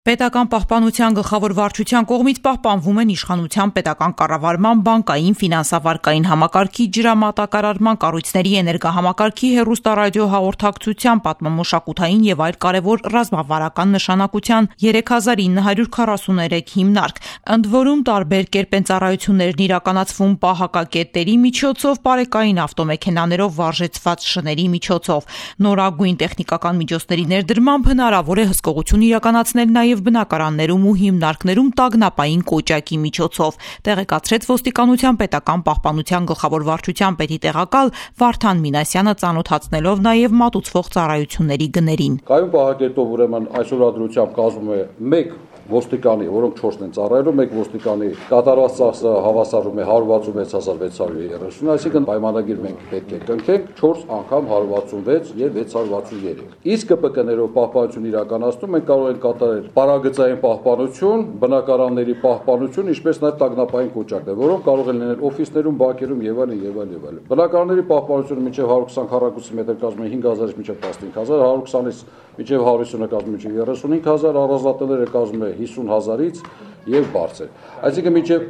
Պետական պահպանության գլխավոր վարչության կողմից պահպանվում են իշխանության պետական կառավարման, բանկային, ֆինանսավարկային համակարգի, ջրամատակարարման կառույցների, էներգահամակարգի, հեռուստառադիոհաղորդակցության, պատմամշակութային եւ այլ կարեւոր ռազմավարական նշանակության 3943 հիմնարկ, ընդ որում տարբեր կերպ են ծառայություններն իրականացվում պահակակետերի միջոցով, պարեկային ավտոմեքենաներով վարժեցված շների միջոցով, նորագույն տեխնիկական միջոցների ներդրմամբ հնարավոր է հսկողություն իրականացնել նաև բնակարաններում ու հիմնարկներում տագնապային կոճակի միջոցով, տեղեկացրեց ոստիկանության պետական պահպանության գլխավոր վարչության պետի տեղակալ Վարդան Մինասյանը, ծանոթացնելով նաև մատուցվող ծառայությունների գներին։ Կայուն պահակետով ուրեմն այսօր ադրությամբ կազմում է 1 ոստիկանի, որոնք 4-ն են ծառայելու, 1 ոստիկանի կատարված ծախսը հավասարում է 166630, այսինքն պայմանագիր մենք պետք է կնքենք 4 անգամ 166 եւ 663։ Իսկ ԿՊԿ-ներով պահպանություն իրականացնում ենք կարող են կատարել պարագծային պահպանություն, բնակարանների պահպանություն, ինչպես նաեւ տագնապային կոճակներ, որոնք կարող են լինել օֆիսներում, բակերում եւ այլն եւ այլն եւ այլն։ Բնակարանների պահպանությունը մինչեւ 120 քառակուսի մետր կազմում է 5000-ից մինչեւ 15000, 120-ից մինչեւ 150-ը կազմում է մինչեւ 35000, առանձնատները կազմում է 50,000-ից եւ բարձր։ Այսինքն մինչեւ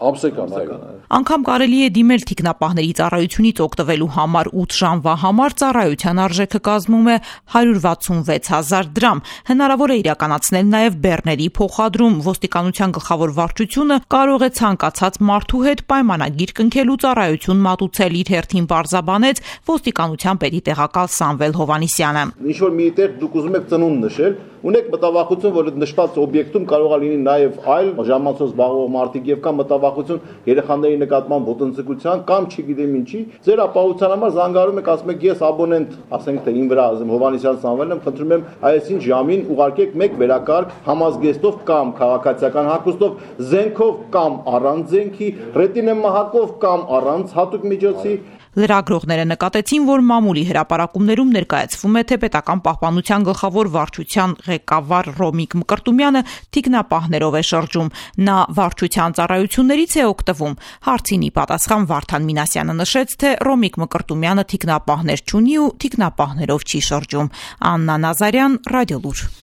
ամսական, այո։ Անգամ կարելի է դիմել թիկնապահների ծառայությունից օգտվելու համար 8 ժամվա համար ծառայության արժեքը կազմում է 166,000 դրամ։ Հնարավոր է իրականացնել նաև բեռների փոխադրում։ Ոստիկանության գլխավոր վարչությունը կարող է ցանկացած մարդու հետ պայմանագիր կնքելու ծառայություն մատուցել, իր հերթին պարզաբանեց ոստիկանության պետի տեղակալ Սամվել Հովհաննիսյանը։ Ինչ որ մի տեղ դուք ուզում եք ծնունդ նշել, ունեք մտավախություն, որ այդ նշված օբյեկտում կարող է լինի նաև այլ ժամանցով զբաղվող մարդիկ եւ կամ մտավախություն երեխաների նկատմամբ ոտնձգության կամ չգիտեմ ինչի, ձեր ապահովության համար զանգարում եք, ասում եք ես աբոնենտ, ասենք թե ին վրա Հովհաննիսյան Սամվելն եմ, խնդրում եմ այսին ժամին ուղարկեք մեկ վերակարգ համազգեստով կամ քաղաքացիական հագուստով, զենքով կամ առանց զենքի, ռետինեմահակով կամ առանց հատուկ միջոցի։ Լրագրողները նկատեցին, որ մամուլի հրապարակումներում ներկայացվում է, թե պետական պահպանության գլխավոր վարչության ղեկավար Ռոմիկ Մկրտումյանը թիկնապահներով է շրջում։ Նա վարչության ծառայություններից է օգտվում։ Հարցին ի պատասխան Վարդան Մինասյանը նշեց, թե Ռոմիկ Մկրտումյանը թիկնապահներ չունի ու թիկնապահներով չի շրջում։ Աննա Նազարյան, Ռադիոլուր։